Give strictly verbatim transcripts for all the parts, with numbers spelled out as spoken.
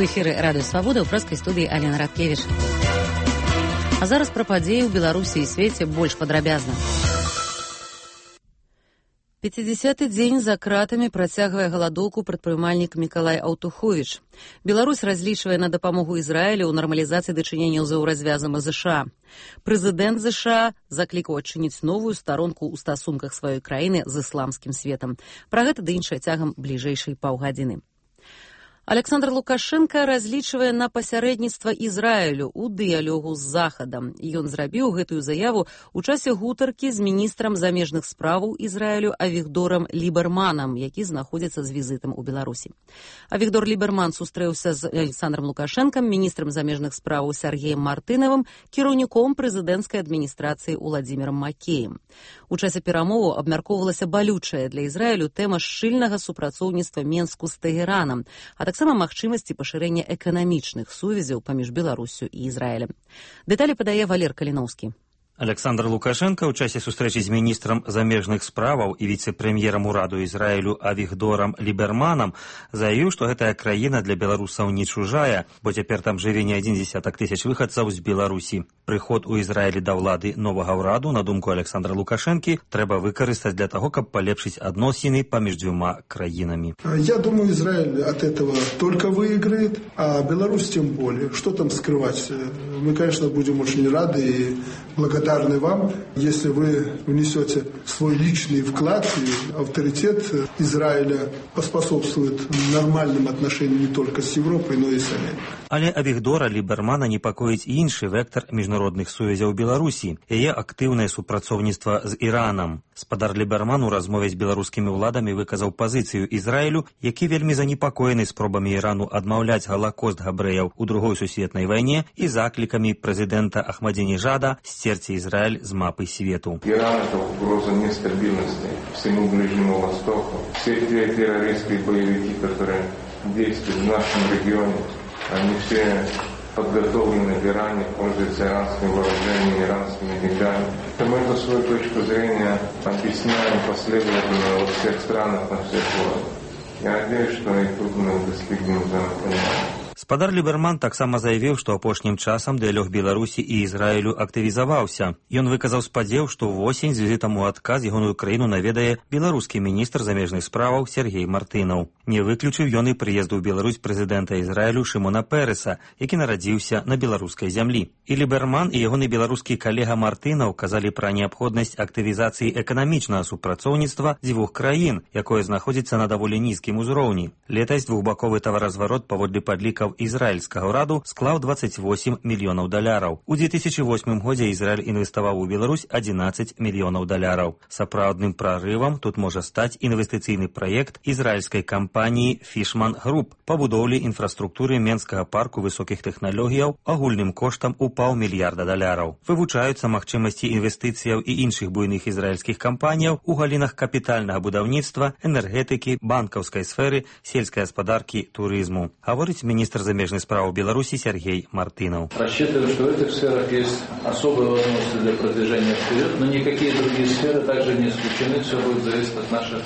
У эфіры Радыё Свабода, ў прэскай студыі Алена Радкевіч. А зараз пра падзеі ў Беларусі і свеце больш падрабязна. пяцідзясяты дзень за кратамі працягвае галадоўку прадпрымальнік Мікалай Аўтуховіч. Беларусь разлічвае на дапамогу Ізраілю ў нармалізацыі дачыненняў з еўразвязам ЗША. Прэзідэнт ЗША заклікаў адчыніць новую старонку ў стасунках сваёй краіны з ісламскім светам. Пра гэта ды іншае цягам бліжэйшай паўгадзіны. Александр Лукашенко разлічвае на пасярэдніцтва Ізраілю ў дыялогу з Захадам. Ён зрабіў гэтую заяву ў часе гутаркі з міністрам замежных справаў Ізраілю Авігдорам Ліберманам, які знаходзіцца з візітам у Беларусі. Авігдор Ліберман сустрэўся з Александром Лукашенком, міністрам замежных справаў Сергеем Мартынавым, кіраўніком прэзідэнцкай адміністрацыі Уладзімірам Макеем. У часе перамоваў абмяркоўвалася балючая для Ізраілю тэма шчыльнага супрацоўніцтва Менску з Тэгеранам, а таксама магчымасці пашырэння эканамічных сувязяў паміж Беларуссю і Ізраілем. Дэталі падае Валер Каліноўскі. Александр Лукашенко ў часе сустрэчы з міністрам замежных справаў і віцэ-прэм'ерам ураду Ізраілю Авігдорам Ліберманам заявіў, што гэтая краіна для беларусаў не чужая, бо цяпер там жыве не адзін дзесятак тысяч выхадцаў з Беларусі. Прыход у Ізраілі да ўлады новага ўраду, на думку Александра Лукашэнкі, трэба выкарыстаць для таго, каб палепшыць адносіны паміж дзвюма краінамі. Я думаю, Израиль от этого только выиграет, а Беларусь тем более. Что там скрывать? Мы, конечно, будем очень рады и благодарны вам, если вы внесете свой личный вклад, и авторитет Израиля поспособствует нормальным отношениям не только с Европой, но и с Америкой. Але Авігдора Лібермана непакоіць іншы вектор міжнародных сувязяў Беларусі, яе актыўнае супрацоўніцтва з Іранам. Спадар Ліберман у размове з беларускімі ўладамі выказаў пазіцыю Ізраілю, які вельмі занепакоены спробамі Ірану адмаўляць галакост габрэяў у другой сусветнай вайне і заклікамі прэзідэнта Ахмадзінежада сцерці Израиль с мапы свету. Иран – это угроза нестабильности всему Ближнему Востоку. Все те террористские боевики, которые действуют в нашем регионе, они все подготовлены в Иране, пользуются иранским вооружением, иранскими деньгами. Мы эту свою точку зрения объясняем последовательно во всех странах, на всех уровнях. Я надеюсь, что и тут мы достигнем взаимопонимания. Спадар Ліберман таксама заявіў, што апошнім часам дыялог Беларусі і Ізраілю актывізаваўся. Ён выказаў спадзеў, што ўвосень з візітам у адказ ягоную краіну наведае беларускі міністр замежных справаў Сергей Мартынаў. Не выключыў ён і прыезду ў Беларусь прэзідэнта Ізраілю Шымона Пэрэса, які нарадзіўся на беларускай зямлі. І Ліберман і ягоны беларускі калега Мартынаў казалі пра неабходнасць актывізацыі эканамічнага супрацоўніцтва дзвюх краін, якое знаходзіцца на даволі нізкім узроўні. Летась двухбаковы таваразварот паводле падлікаў ізраільскага ўраду склаў дваццаць восем мільёнаў даляраў. У две тысячи восьмым годзе Ізраіль інвеставаў у Беларусь адзінаццаць мільёнаў даляраў. Сапраўдным прарывам тут можа стаць інвестыцыйны праект ізраільскай кампаніі Фішман Груп па будоўлі інфраструктуры Менскага парку высокіх тэхналогіяў агульным коштам у паўмільярда даляраў. Вывучаюцца магчымасці інвестыцыяў і іншых буйных ізраільскіх кампаніяў у галінах капітальнага будаўніцтва, энергетыкі, банкаўскай сферы, сельскай гаспадаркі, турызму. Гаворыць міністр замежных справ Беларуси Сергей Мартынов. Рассчитываю, что в этих сферах есть особые возможности для продвижения вперед, но никакие другие сферы также не исключены. Все будет зависеть от наших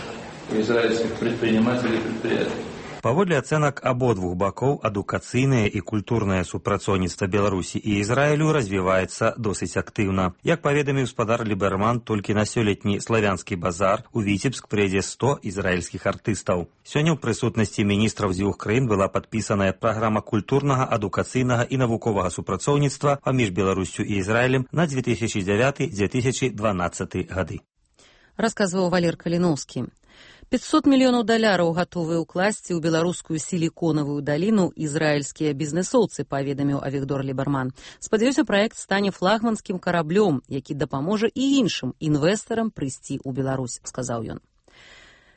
израильских предпринимателей и предприятий. Паводле ацэнак абодвух бакоў, адукацыйнае і культурнае супрацоўніцтва Беларусі і Ізраілю развіваецца досыць актыўна. Як паведаміў спадар Ліберман, толькі на сёлетні славянскі базар у Віцебск прыйдзе сто ізраільскіх артыстаў. Сёння ў прысутнасці міністраў дзвюх краін была падпісаная праграма культурнага, адукацыйнага і навуковага супрацоўніцтва паміж Беларуссю і Ізраілем на две тысячи девятый — две тысячи дванадцатый гады. Расказваў Валер Каліноўскі. пятьсот мільёнаў даляраў гатовыя ўкласці ў беларускую сіліконавую даліну ізраільскія бізнэсоўцы, паведаміў Авігдор Ліберман. Спадзяюся, праект стане флагманскім караблём, які дапаможа і іншым інвестарам прыйсці ў Беларусь, сказаў ён.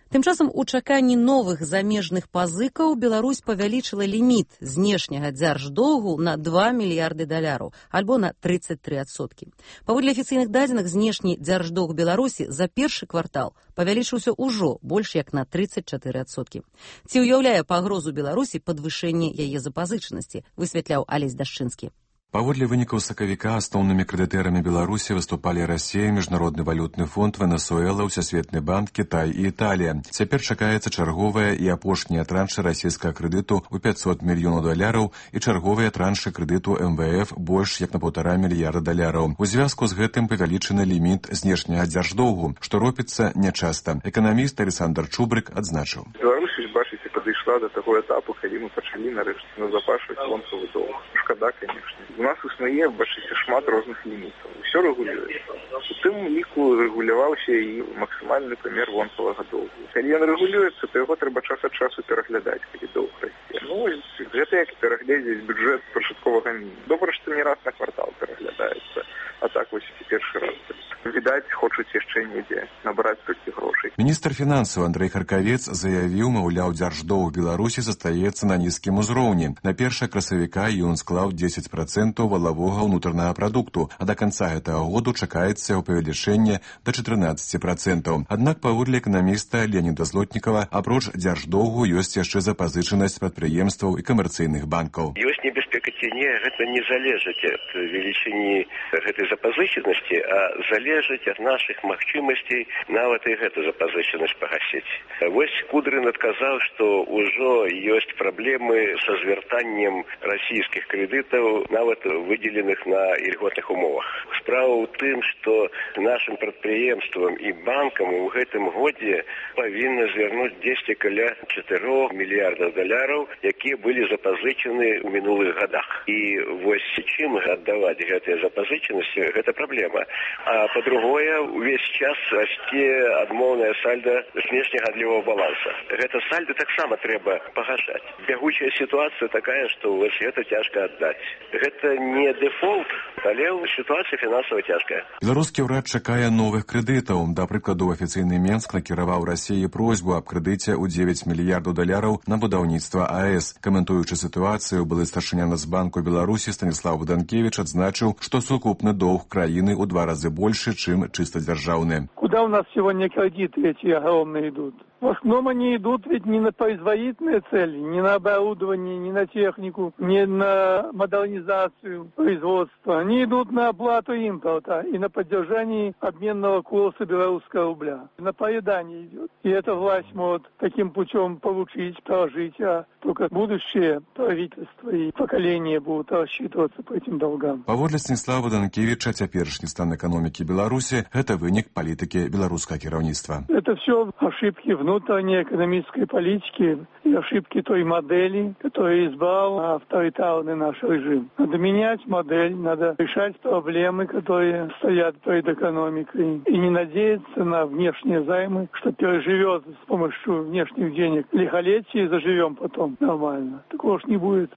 Тым часам у чаканні новых замежных пазыкаў Беларусь павялічыла ліміт знешняга дзярждоўгу на два мільярды даляраў, альбо на тридцать три адсоткі. Паводле афіцыйных дадзеных, знешні дзярждоўг Беларусі за першы квартал павялічыўся ўжо больш як на тридцать четыре адсоткі. Ці ўяўляе пагрозу Беларусі падвышэнне яе запазычанасці, высвятляў Алесь Дашчынскі. Паводле вынікаў сакавіка асноўнымі крэдытэрамі Беларусі выступалі Расія, Міжнародны валютны фонд, Венесуэла, Усесветны банк, Кітай і Італія. Цяпер чакаецца чарговая і апошняя траншы расійскага крэдыту ў пяцьсот мільёнаў даляраў і чарговыя траншы крэдыту эм вэ эф больш як на паўтара мільярда даляраў. У звязку з гэтым павялічаны ліміт знешняга дзярждоўгу, што робіцца нячаста. Эканаміст Александр Чубрык адзначыў. Беларусь, бачыце, падышла да таго этапу, калі мы пачалі нарэшце назапашваць вонкавы доўг. Шкада, канешне. У нас існуе, бачыце, шмат розных лімітаў. Усё рэгулюецца. У тым ліку рэгуляваўся і максімальны памер вонкавага доўгу. Калі ён рэгулюецца, то яго трэба час ад часу пераглядаць, калі доўг расце. Ну, гэта як пераглядзець бюджэт пачатковага мінімуму. Добра, што не раз на квартал пераглядаецца. А так вось і першы раз. Відаць, хочуць яшчэ недзе набраць толькі грошай. Міністр фінансаў Андрэй Харкавец заявіў, маўляў, дзярждоўг Беларусі застаецца на нізкім узроўні. На першае красавіка ён склаў дзесяць працэнтаў валавога ўнутранага прадукту, а да канца гэтага году чакаецца яго павелічэнне да чатырнаццаць працэнтаў. Аднак, паводле эканаміста Леаніда Злотнікава, апроч дзярждоўгу ёсць яшчэ запазычанасць прадпрыемстваў і камерцыйных банкаў. Ёсць небяспека ці не, гэта не залежыць ад велічыні гэтай запазычанасці, а залежыць ад нашых магчымасцей нават і гэту запазычанасць пагасіць. Вось Кудрын адказаў, што ўжо ёсць праблемы са звяртаннем расійскіх крэдытаў, нават выдзеленых на ільготных умовах. Справа ў тым, што нашым прадпрыемствам і банкам у гэтым годзе павінна звярнуць дзесьці каля чатырох мільярдаў даляраў, якія былі запазычаны ў мінулых гадах. І вось чым аддаваць гэтыя запазычанасці, гэта праблема. А па-другое, увесь час расце адмоўная сальда знешняга адлівого баланса. Гэта сальда таксама трэба пагашаць. Бягучая сітуацыя такая, што вось гэта цяжка аддаць. Гэта не дэфолт, але сітуацыя фінансава цяжкая. Беларускі ўрад чакае новых крэдытаў. Да прыкладу, афіцыйны Менск накіраваў Расіі просьбу аб крэдыце ў дзевяць мільярдаў даляраў на будаўніцтва АЭС. Каментуючы сітуацыю, былы старшыня Нацбанку Беларусі Станіслав Богданкевич адзначыў, што сукупны доўг краіны ў два разы больше, чем чисто державные. Куда у нас сегодня кредиты эти огромные идут? В основном они идут ведь не на производительные цели, не на оборудование, не на технику, не на модернизацию производства. Они идут на оплату импорта и на поддержание обменного курса белорусского рубля. На поедание идет. И эта власть может таким путем получить, прожить, а только будущее правительство и поколение будут рассчитываться по этим долгам. Паводле Станіслава Данкевича, цяперашні стан экономики Беларуси – это вынік политики белорусского кіраўніцтва. Это все ошибки внутренней экономической политики и ошибки той модели, которую избрал авторитарный наш режим. Надо менять модель, надо решать проблемы, которые стоят перед экономикой, и не надеяться на внешние займы, что переживет с помощью внешних денег лихолетие и заживем потом нормально. Такого ж не будет.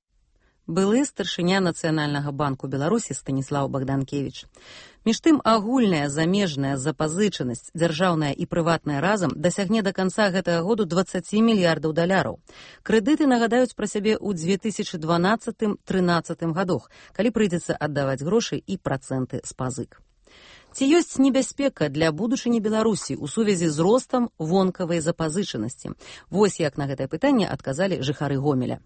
Былы старшыня Нацыянальнага банку Беларусі Станіслаў Богданкевич. Між тым, агульная замежная запазычанасць, дзяржаўная і прыватная разам, дасягне да канца гэтага году дваццаць мільярдаў даляраў. Крэдыты нагадаюць пра сябе ў две тысячы дванаццатым-трынаццатым гадах, калі прыйдзецца аддаваць грошы і працэнты з пазык. Ці ёсць небяспека для будучыні Беларусі ў сувязі з ростам вонкавай запазычанасці? Вось як на гэтае пытанне адказалі жыхары Гомеля.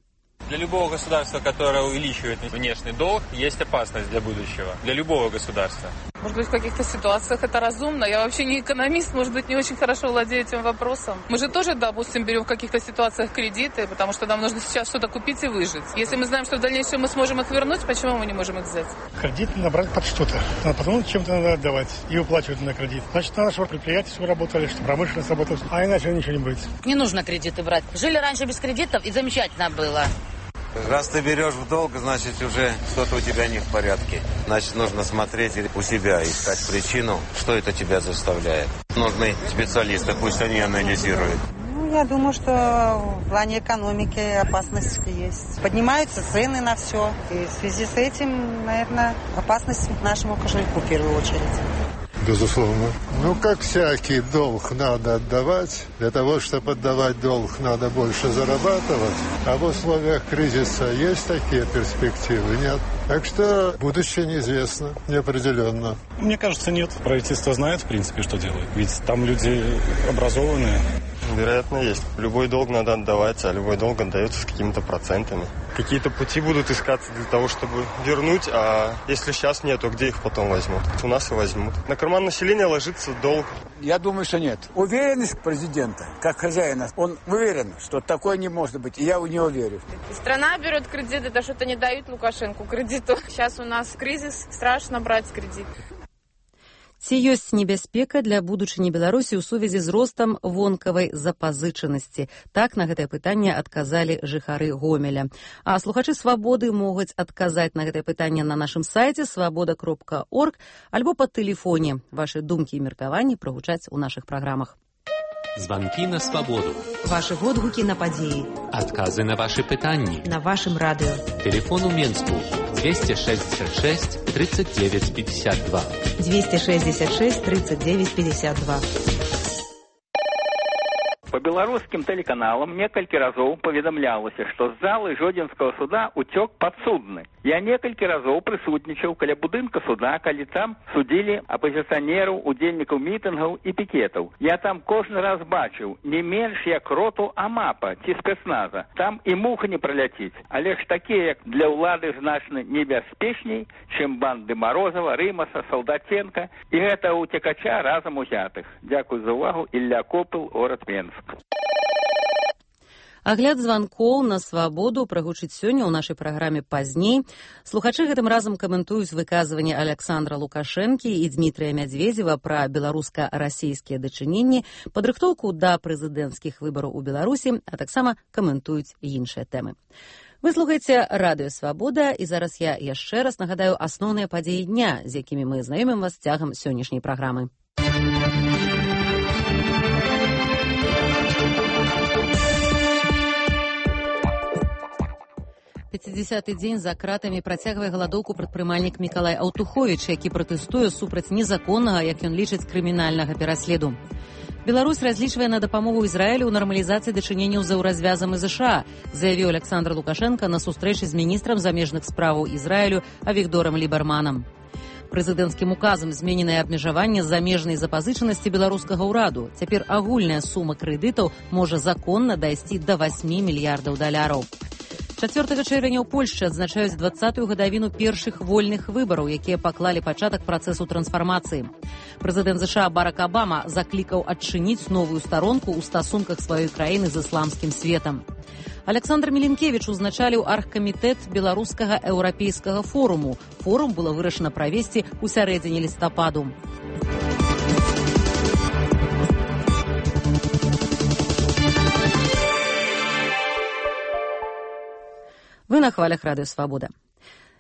Для любого государства, которое увеличивает внешний долг, есть опасность для будущего. Для любого государства. Может быть, в каких-то ситуациях это разумно. Я вообще не экономист, может быть, не очень хорошо владею этим вопросом. Мы же тоже, допустим, берем в каких-то ситуациях кредиты, потому что нам нужно сейчас что-то купить и выжить. Если мы знаем, что в дальнейшем мы сможем их вернуть, почему мы не можем их взять? Кредит надо брать под что-то. А потом чем-то надо отдавать и выплачивать на кредит. Значит, на нашего предприятия все работали, что промышленность работала, а иначе ничего не будет. Не нужно кредиты брать. Жили раньше без кредитов, и замечательно было. Раз ты берешь в долг, значит, уже что-то у тебя не в порядке. Значит, нужно смотреть у себя, искать причину, что это тебя заставляет. Нужны специалисты, пусть они анализируют. Ну, я думаю, что в плане экономики опасность есть. Поднимаются цены на все. И в связи с этим, наверное, опасность нашему кошельку в первую очередь. Безусловно. Ну, как всякий долг надо отдавать. Для того, чтобы отдавать долг, надо больше зарабатывать. А в условиях кризиса есть такие перспективы? Нет. Так что будущее неизвестно, неопределенно. Мне кажется, нет. Правительство знает, в принципе, что делает. Ведь там люди образованные. Вероятно, есть. Любой долг надо отдавать, а любой долг отдается с какими-то процентами. какие-то пути будут искаться для того, чтобы вернуть, а если сейчас нет, то где их потом возьмут? У нас и возьмут. На карман населения ложится долг. Я думаю, что нет. Уверенность президента, как хозяина, он уверен, что такое не может быть, и я в него верю. Страна берет кредит, это что-то не дают Лукашенко кредиту. Сейчас у нас кризис, страшно брать кредит. Ці ёсць небяспека для будучыні Беларусі ў сувязі з ростам вонкавай запазычанасці? Так на гэтае пытанне адказалі жыхары Гомеля. А слухачы «Свабоды» могуць адказаць на гэтае пытанне на нашым сайце свабода кропка орг альбо па тэлефоне. Вашы думкі і меркаванні прагучаць у нашых праграмах. Звонки на свободу. Ваши водгуки на подеи. Отказы на ваши пытанни. На вашем радио. Телефон у Менску двести шестьдесят шесть тридцать девять пятьдесят два. двести шестьдесят шесть тридцать девять пятьдесят два. По беларускім тэлеканалам некалькі разоў паведамлялася, што з залы Жодзінскага суда уцёк падсудны. Я некалькі разоў прысутнічаў каля будынка суда, калі там судзілі апазіцыянераў, удзельнікаў мітынгаў і пікетаў. Я там кожны раз бачыў не менш як роту АМАПа ці спецназа. Там і муха не праляціць. Але ж такія, як для ўлады значна небяспечней, чым банды Марозава, Рымаса, Салдатенка і гэта уцекача разам узятых. Дзякуй за ўвагу. Ілля Копыл, горад Менск. Агляд званкоў на свабоду прагучыць сёння ў нашай праграме пазней. Слухачы гэтым разам каментуюць выказванне Александра Лукашэнкі і Дмітрыя Мядзведзева пра беларуска-расійскія дачыненні, падрыхтоўку да прэзідэнцкіх выбараў у Беларусі, а таксама каментуюць іншыя тэмы. Вы слухаеце радыё «Свабода», і зараз я яшчэ раз нагадаю асноўныя падзеі дня, з якімі мы знаёмім вас цягам сённяшняй праграмы. пяцідзясяты дзень за кратамі працягвае галадоўку прадпрымальнік Мікалай Аўтуховіч, які пратэстуе супраць незаконнага, як ён лічыць, крымінальнага пераследу. Беларусь разлічвае на дапамогу Ізраілю ў нармалізацыі дачыненняў з еўразвязам і ЗША, заявіў Александр Лукашенко на сустрэчы з міністрам замежных справаў Ізраілю Авігдорам Лібарманам. Прэзідэнцкім указам змененае абмежаванне замежнай запазычанасці беларускага ўраду. Цяпер агульная сума крэдытаў можа законна дайсці да васьмі мільярдаў даляраў. чацвёртага чэрвеня ў Польшчы адзначаюць дваццатую гадавіну першых вольных выбараў, якія паклалі пачатак працэсу трансфармацыі. Прэзідэнт ЗША Барак Абама заклікаў адчыніць новую старонку ў стасунках сваёй краіны з ісламскім светам. Александр Міленкевіч узначаліў аргкамітэт беларускага еўрапейскага форуму. Форум было вырашана правесці ў сярэдзіне лістападу. Вы на хвалях радыё «Свабода».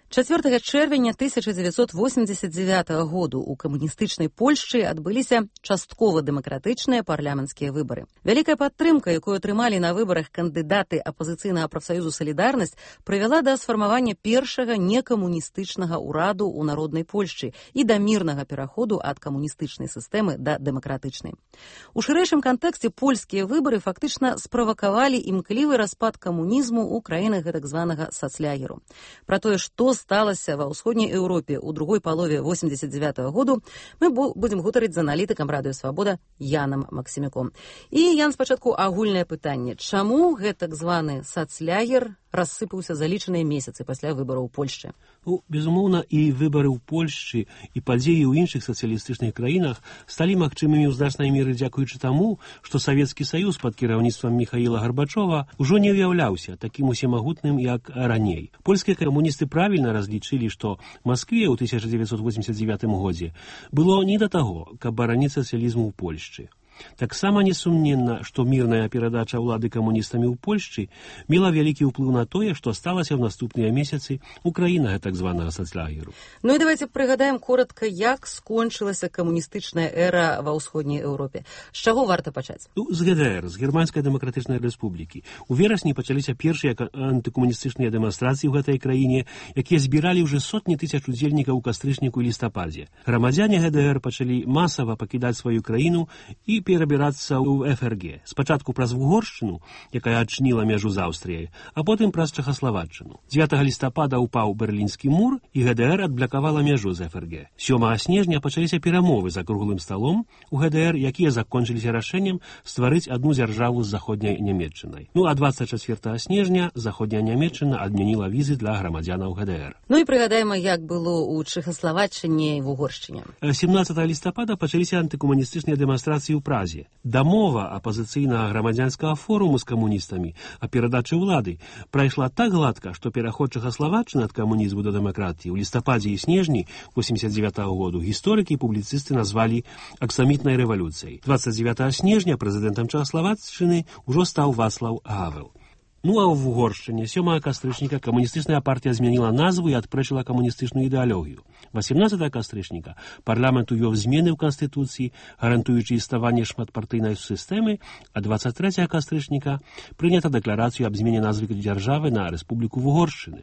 чацвёртага чэрвеня тысяча дзевяцьсот восемьдесят девятого году ў камуністычнай Польшчы адбыліся часткова дэмакратычныя парламенцкія выбары. Вялікая падтрымка, якую атрымалі на выбарах кандыдаты апазіцыйнага прафсаюзу «Салідарнасць», прывяла да сфармавання першага некамуністычнага ўраду ў народнай Польшчы і да мірнага пераходу ад камуністычнай сістэмы да дэмакратычнай. У шырэйшым кантэксце польскія выбары фактычна справакавалі імклівы распад камунізму ў краінах гэтак званага сацлягеру. Пра тое, што сталася ва ўсходняй Еўропе ў другой палове восемьдесят девятого году, мы будзем гутарыць з аналітыкам радыё «Свабода» Янам Максімюком. І, Ян, спачатку агульнае пытанне. Чаму гэтак званы сацлягер рассыпаўся за лічаныя месяцы пасля выбараў у Польшчы? Ну, безумоўна, і выбары ў Польшчы, і падзеі ў іншых сацыялістычных краінах сталі магчымымі ў значнай меры дзякуючы таму, што Савецкі Саюз пад кіраўніцтвам Міхаіла Гарбачова ўжо не ўяўляўся такім усемагутным, як раней. Польскія камуністы правільна разлічылі, што Маскве ў тысяча дзевяцьсот восемьдесят девятым годзе было не да таго, каб бараніць сацыялізму ў Польшчы. Таксама несумненна, што мірная перадача ўлады камуністамі ў Польшчы мела вялікі ўплыў на тое, што сталася ў наступныя месяцы ў краінах так званага сацлягеру. Ну і давайте прыгадаем коротка, як скончылася камуністычная эра ва ўсходняй Еўропе. З чаго варта пачаць? Ну, з ГДР, з Германскай дэмакратычнай рэспублікі. У верасні пачаліся першыя антыкамуністычныя дэманстрацыі ў гэтай краіне, якія збіралі ўжо сотні тысяч удзельнікаў у кастрычніку і лістападзе. Грамадзяне ГДР пачалі масава пакідаць сваю краіну і перабірацца ў эф эр гэ. Спачатку праз Угоршчыну, якая адчыніла мяжу з Аўстрыяй, а потым праз Чэхаславаччыну. дзевятага лістапада ўпаў Берлінскі мур, і гэ дэ эр адблакавала мяжу з эф эр гэ. сёмага снежня пачаліся перамовы за круглым сталом у гэ дэ эр, якія закончыліся рашэннем стварыць адну дзяржаву з заходняй Нямецчынай. Ну а дваццаць чацвёртага снежня заходняя Нямецчына адмяніла візы для грамадзянаў гэ дэ эр. Ну і прыгадаем, як было ў Чэхаславаччыне і в Угоршчыне. сямнаццатага лістапада пачаліся антыкамуністычныя дэманстрацыі ў Празе. Дамова апазіцыйнага грамадзянскага форуму з камуністамі а перадачы ўлады прайшла так гладка, што пераход Чэхаславаччыны ад камунізму да дэмакратыі ў лістападзе і снежні восемьдесят девятого году гісторыкі і публіцысты назвалі аксамітнай рэвалюцыяй. дваццаць дзевятага снежня прэзідэнтам Чэхаславаччыны ўжо стаў Вацлаў Гавел. Ну а в Угоршчыне сёмага кастрычніка камуністычная партія змяніла назву і адпрэчыла камуністычную ідэалогію. васемнаццатага кастрычніка парламент увёў змены ў канстытуцыі, гарантуючы існаванне шматпартыйнай сістэмы, а дваццаць трэцяга кастрычніка прынята дэкларацыю аб змене назвы дзяржавы на Рэспубліку Угоршчыны.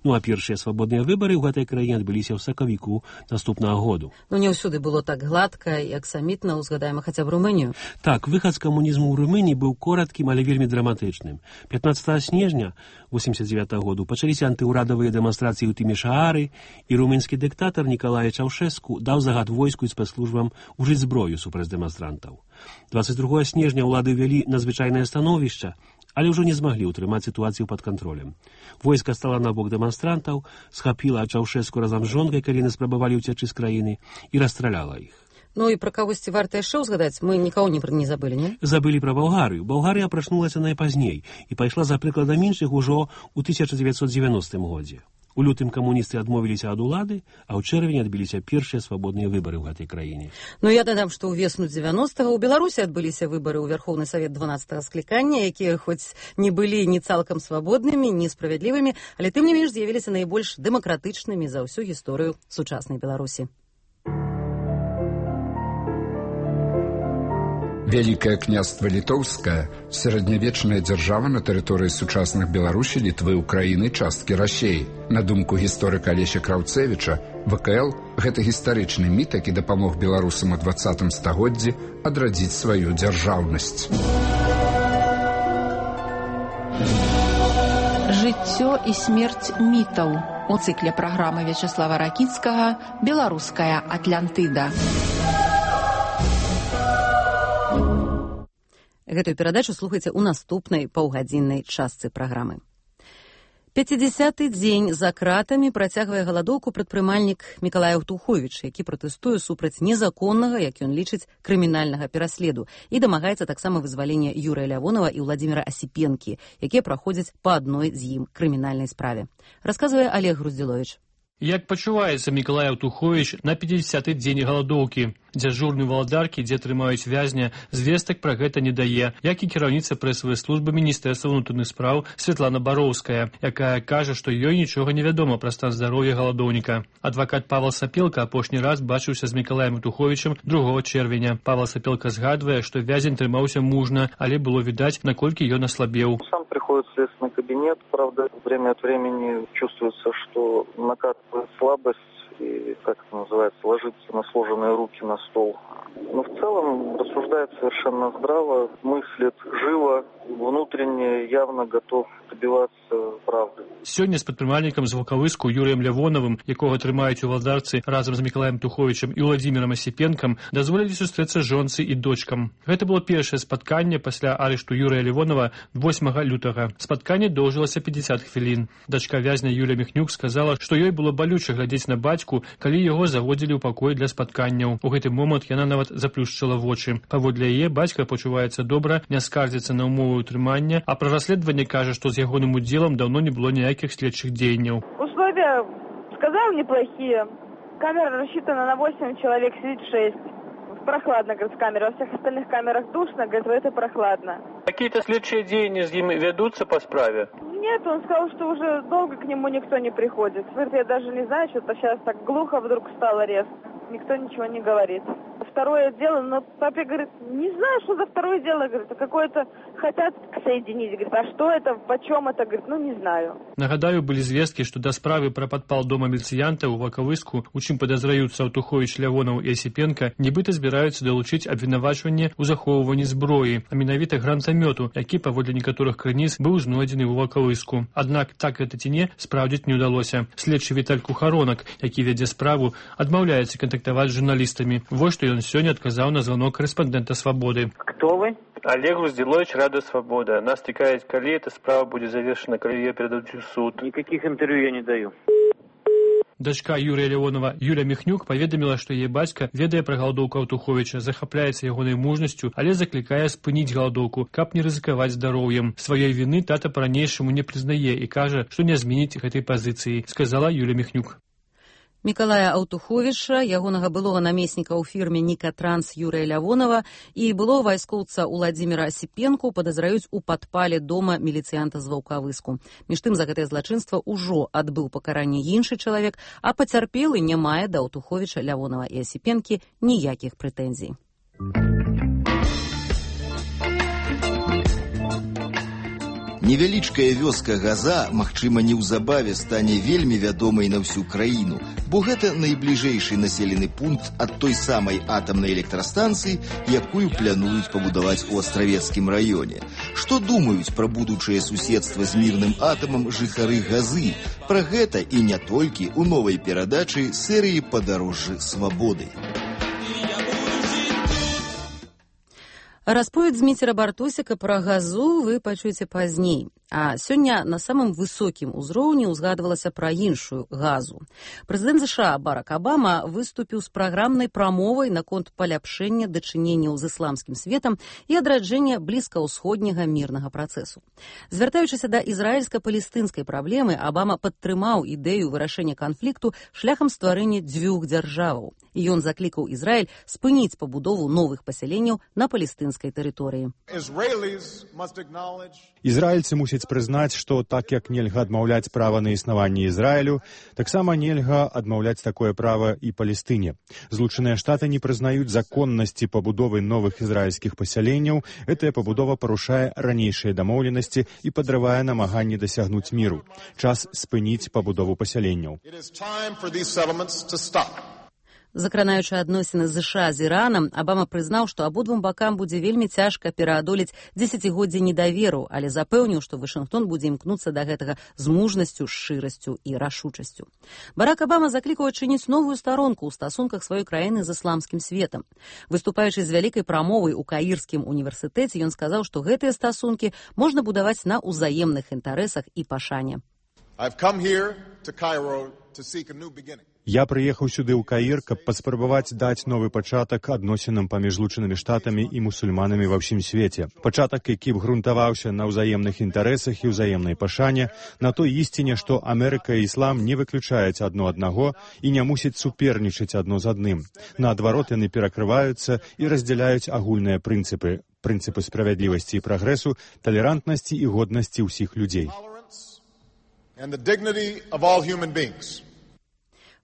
Ну а першыя свабодныя выбары ў гэтай краіне адбыліся ў сакавіку наступнага году. Ну не ўсюды было так гладка і аксамітна, узгадаем хаця б Румынію. Так, выхад з камунізму ў Румыніі быў короткім, але вельмі драматычным. пятнаццатага снежня восемьдесят девятого году пачаліся антыўрадавыя дэманстрацыі ў Тымішаары, і румынскі дыктатар Нікалай Чаўшэску даў загад войску і спецслужбам ужыць зброю супраць дэманстрантаў. дваццаць другога снежня ўлады ввялі надзвычайнае становішча, але ўжо не змаглі ўтрымаць сітуацыю пад кантролем. Войска стала на бок дэманстрантаў, схапіла Чаўшэску разам з жонкай, калі яны спрабавалі ўцячы з краіны, і расстраляла іх. Ну і пра кагосьці варта яшчэ ўзгадаць, мы нікого не, не забылі, не? Забылі пра Балгарыю. Балгарыя прачнулася найпазней і пайшла за прыкладам іншых ужо ў тысяча дзевяцьсот дзевяностым годзе. У лютым камуністы адмовіліся ад улады, а ў чэрвені адбыліся першыя свабодныя выбары ў гэтай краіне. Ну я дадам, што ўвесну дзевяностага ў Беларусі адбыліся выбары ў Верхоўны Савет дванаццатага склікання, якія хоць не былі ні цалкам свабоднымі, ні справядлівымі, але тым не менш з'явіліся найбольш дэмакратычнымі за ўсю гісторыю сучаснай Беларусі. Вялікае княства Літоўскае – сярэднявечная дзяржава на тэрыторыі сучасных Беларусі, Літвы, Украіны, часткі Расеі. На думку гісторыка Алеся Краўцэвіча, вэ ка эл – гэта гістарычны міт, які дапамог беларусам у дваццатым стагоддзі адрадзіць сваю дзяржаўнасць. Жыццё і смерць мітаў у цыкле праграмы Вячаслава Ракіцкага «Беларуская Атлантыда». Гэтую перадачу слухайце ў наступнай паўгадзіннай частцы праграмы. пяцідзясяты дзень за кратамі працягвае галадоўку прадпрымальнік Мікалай Аўтуховіч, які пратэстуе супраць незаконнага, як ён лічыць, крымінальнага пераследу і дамагаецца таксама вызвалення Юрыя Лявонова і Владзіміра Асіпенкі, якія праходзяць па адной з ім крымінальнай справе. Расказвае Олег Груздзіловіч. Як пачуваецца Мікалай Аўтуховіч на пяцідзясяты дзень галадоўкі? Дзяжурны валадаркі, дзе трымаюць вязня, звестак пра гэта не дае, як і кіраўніца прэсавай службы Міністэрства ўнутраных спраў Святлана Бароўская, якая кажа, што ёй нічога не вядома пра стан здароўя галадоўніка. Адвакат Павел Сапелка апошні раз бачыўся з Мікалаем Аўтуховічам другога чэрвеня. Павел Сапелка згадвае, што вязень трымаўся мужна, але было відаць, наколькі ён аслабеў. Сам приходит в следственный кабинет, правда, время от времени чувствуется, что накатывает слабость, и, как это называется, ложится на сложенные руки на стол. Но в целом рассуждает совершенно здраво, мыслит живо, внутренне явно готов добиваться правды. Сёння з прадпрымальнікам з Вулкавыску Юрыем Лявонавым, якога трымаюць у валадарцы разам з Мікалаем Туховічам і Владзімірам Асіпенкам, дазволілі сустрэцца жонцы і дочкам. Гэта было першае спатканне пасля арышту Юрыя Лявонава восьмага лютага. Спатканне доўжылася пятьдесят хвілін. Дачка вязня Юлія Міхнюк сказала, што ёй было балюча глядзець на бацьку, калі яго заводзілі ў пакой для спатканняў. У гэты момант яна нават заплюшчыла вочы. Паводле яе бацька пачуваецца добра, не скардзіцца на ўмовы ўтрымання, а пра расследаванне кажа, што з ягоным удзелам даўно не было ніякіх следчых дзеянняў. Условия, сказал, неплохие. Камера рассчитана на восемь человек, сидит шесть. Прохладно, говорит, с камеры. Во всех остальных камерах душно, говорит, в этой прохладно. Какие-то следчие деяния с ним ведутся по справе? Нет, он сказал, что уже долго к нему никто не приходит. Говорит, я даже не знаю, что-то сейчас так глухо вдруг стало резко. Никто ничего не говорит. второе дело, но папе говорит, не знаю, что за второе дело, говорит, а какое-то хотят соединить, говорит, а что это, почем это, говорит, ну не знаю. Нагадаю, былі звесткі, што да справы пра падпал дома міліцыянта ў Вакавыску, у чым падазраюцца Аўтуховіч, Лявонаў і Асіпенка, нібыта збіраюцца далучыць абвінавачванне ў захоўванні зброі, а менавіта гранатамёту, які, паводле некаторых крыніц, быў знойдзены ў Вакавыску. Аднак так гэта ці не, спраўдзіць не ўдалося. Следчы Віталь Кухаронак, які вядзе справу, адмаўляецца кантактаваць з журналістамі. Вось што ён сёння адказаў на звонок корэспандэнта «Свободы». Кто вы? Олег Груздилович, Радио Свобода. Нас цікавить, коли эта справа будет завершена, коли ее передадут в суд. Никаких интервью я не даю. Дачка Юрія Лявонова Юля Міхнюк паведаміла, што яе бацька ведае пра галадоўку Аўтуховіча, захапляецца ягонай мужнасцю, але заклікае спыніць галадоўку, каб не рызыкаваць здароўем. Сваёй віны тата па-ранейшаму не прызнае і кажа, што не зменіць гэтай пазіцыі, сказала Юля Міхнюк. Мікалая Аўтуховіча, ягонага былога намесніка ў фірме «Нікатранс» Юрыя Лявонова і былога вайскоўца Уладзіміра Асіпенку падазраюць у падпале дома міліцыянта з Ваўкавыску. Між тым, за гэтае злачынства ўжо адбыў пакаранне іншы чалавек, а пацярпелы не мае да Аўтуховіча, Лявонова і Асіпенкі ніякіх прэтэнзій. Невялічкая вёска Газа, магчыма, неўзабаве стане вельмі вядомай на ўсю краіну, бо гэта найбліжэйшы населены пункт ад той самай атамнай электрастанцыі, якую плануюць пабудаваць у Астравецкім раёне. Што думаюць пра будучае суседства з мірным атамам жыхары Газы? Пра гэта і не толькі ў новай перадачы серыі «Падарожжы свабоды». Расповедь Зміцера Бартусіка пра Газу вы пачуеце пазней. А сёння на самым высокім узроўні ўзгадвалася пра іншую Газу. Прэзідэнт ЗША Барак Абама выступіў з праграмнай прамовай наконт паляпшэння дачыненняў з ісламскім светам і адраджэння блізкаўсходняга мірнага працэсу. Звяртаючыся да ізраільска-палестынскай праблемы, Абама падтрымаў ідэю вырашэння канфлікту шляхам стварэння дзвюх дзяржаваў. І ён заклікаў Ізраіль спыніць пабудову новых пасяленняў на палестынскай тэрыторыі. Ізраільцы мусяць прызнаць, што так як нельга адмаўляць права на існаванне Ізраілю, таксама нельга адмаўляць такое права і Палестыне. Злучаныя Штаты не прызнаюць законнасці пабудовы новых ізраільскіх пасяленняў. Гэтая пабудова парушае ранейшыя дамоўленасці і падрывае намаганні дасягнуць міру. Час спыніць пабудову пасяленняў. Закранаючы адносіны ЗША з Іранам, Абама прызнаў, што абодвум бакам будзе вельмі цяжка пераадолець дзесяцігоддзе недаверу, але запэўніў, што Вашынгтон будзе імкнуцца да гэтага з мужнасцю, шчырасцю і рашучасцю. Барак Абама заклікаў адчыніць новую старонку ў стасунках сваёй краіны з ісламскім светам. Выступаючы з вялікай прамовай у Каірскім універсітэце, ён сказаў, што гэтыя стасункі можна будаваць на ўзаемных інтарэсах і пашане. Я прыехаў сюды ў Каір, каб паспрабаваць даць новы пачатак адносінам паміж Злучанымі Штатамі і мусульманамі ва ўсім свеце. Пачатак, які б грунтаваўся на ўзаемных інтарэсах і ўзаемнай пашане, на той ісціне, што Амерыка і іслам не выключаюць адно аднаго і не мусіць супернічаць адно з адным. Наадварот, яны перакрываюцца і раздзяляюць агульныя прынцыпы, прынцыпы справядлівасці і прагрэсу, талерантнасці і годнасці ўсіх людзей.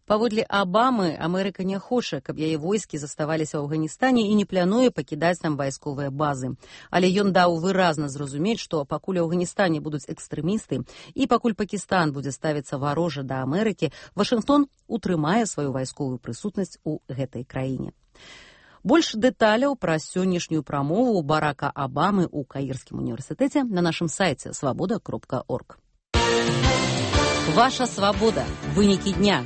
Паводле Абамы, Амерыка не хоча, каб яе войскі заставаліся ў Афганістане і не плануе пакідаць там вайсковыя базы. Але ён даў выразна зразумець, што пакуль у Афганістане будуць экстрэмісты і пакуль Пакістан будзе ставіцца варожа да Амерыкі, Вашынгтон утрымае сваю вайсковую прысутнасць у гэтай краіне. Больш дэталяў пра сённяшнюю прамову Барака Абамы ў Каірскім універсітэце на нашым сайце свабода кропка орг. Ваша свабода. Вынікі дня.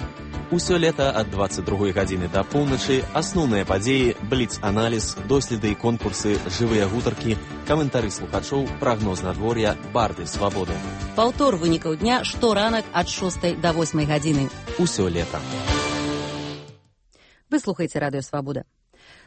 Усё лета ад дваццаць другой гадзіны да поўначы асноўныя падзеі, бліц-аналіз, доследы і конкурсы, жывыя гутаркі, каментары слухачоў, прагноз надвор'я, барды свабоды. Паўтор вынікаў дня шторанак ад шостай да восьмай гадзіны. Усё лета. Вы слухаеце Радыё Свабода.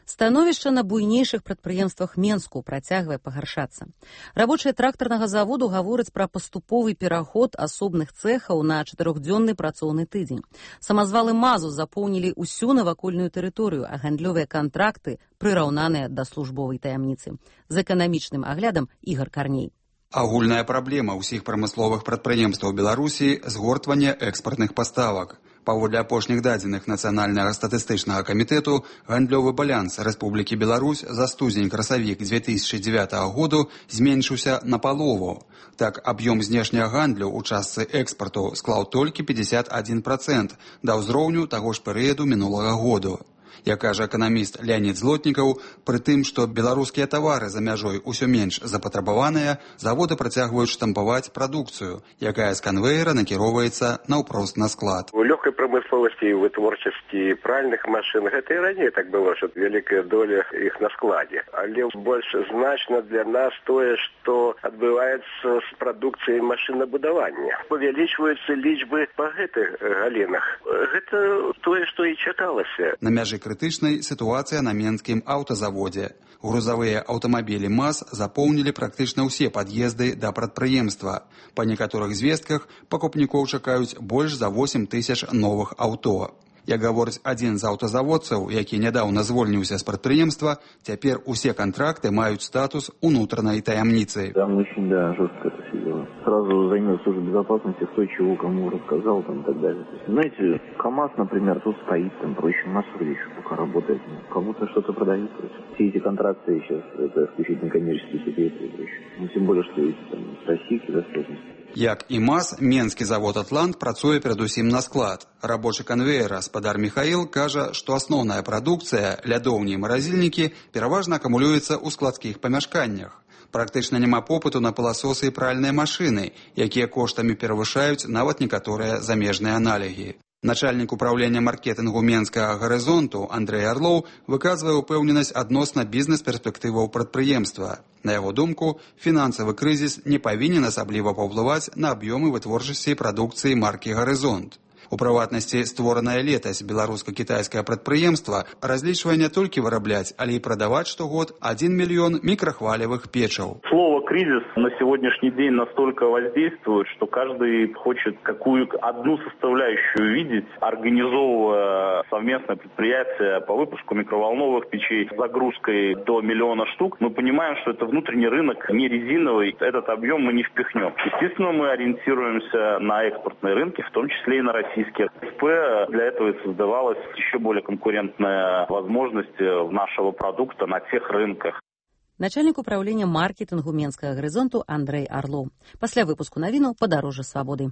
Становішча на буйнейшых прадпрыемствах Менску працягвае пагаршацца. Рабочыя трактарнага заводу гавораць пра паступовы пераход асобных цэхаў на чатырохдзённы працоўны тыдзень. Самазвалы МАЗу запоўнілі ўсю навакольную тэрыторыю, а гандлёвыя кантракты прыраўнаныя да службовай таямніцы. З эканамічным аглядам Ігар Карней. Агульная праблема ўсіх прамысловых прадпрыемстваў Беларусі – згортванне экспартных паставак. Паводле апошніх дадзеных Нацыянальнага статыстычнага камітэту, гандлёвы баланс Рэспублікі Беларусь за студзень-красавік две тысячи девятого году зменшыўся на палову. Так, аб'ём знешняга гандлю ў частцы экспарту склаў толькі пятьдесят один процент да ўзроўню таго ж перыяду мінулага году. Як кажа эканаміст Леонид Злотнікаў, пры тым, што беларускія тавары за мяжой усё менш запатрабаваныя, заводы працягваюць штампаваць прадукцыю, якая з канвеера накіроўваецца наўпрост на склад. У лёгкай прамысловасці і вытворчасці пральных машын гэта і раней так было, што вялікая доля іх на складзе. Але больш значна для нас тое, што адбываецца з прадукцыяй машынабудавання. Павялічваюцца лічбы па гэтых галінах. Гэта тое, што і чакалася. На мяжы крытычнай сітуацыя на менскім аўтазаводзе. Грузавыя аўтамабілі МАЗ запоўнілі практычна ўсе пад'езды да прадпрыемства. Па некаторых звестках пакупнікоў чакаюць больш за восемь тысяч новых аўто. Як гаворыць адзін з аўтазаводцаў, які нядаўна звольніўся з прадпрыемства, цяпер усе кантракты маюць статус унутранай таямніцы. Там очень, да, жестко это все дело. Сразу займет служба безопасности, кто чего кому рассказал там, и так далее. Знаете, КАМАЗ, например, тут стоит, там проще массово еще пока работает. Кому-то что-то продают. Все эти контракты сейчас, это исключительно коммерческие секреты и прочее. Ну, тем более, что эти там российские достаточно. Як і МАЗ, менскі завод «Атлант» працуе перадусім на склад. Рабочы канвеера гаспадар Михаил кажа, што асноўная прадукцыя, лядоўні і маразільнікі, пераважна акумулюецца ў складскіх памяшканнях. Практычна няма попыту на пыласосы і пральныя машыны, якія коштамі перавышаюць нават некаторыя замежныя аналігі. Начальнік управлення маркетингу Менскага гарызонту Андрей Орлоў выказвае ўпэўненасць адносна бізнес-перспектываў прадпрыемства. На яго думку, фінансавы крызіс не павінен асабліва паўплываць на аб'ёмы вытворчасці прадукцыі маркі «Гарызонт». У прыватнасці, створаная летась беларуска-кітайскае прадпрыемства разлічвае не толькі вырабляць, але і прадаваць штогод один мільён мікрахвалевых печаў. Слово «кризис» на сегодняшний день настолько воздействует, что каждый хочет какую одну составляющую видеть, организовывая совместное предприятие по выпуску микроволновых печей с загрузкой до миллиона штук. Мы понимаем, что это внутренний рынок, не резиновый, этот объем мы не впихнем. Естественно, мы ориентируемся на экспортные рынки, в том числе и на российские. Для этого и создавалась еще более конкурентная возможность нашего продукта на тех рынках. Начальник управления маркетингу Менскага гарызонту Андрей Орлоў. Пасля выпуску навіну «Падарожжа свабоды».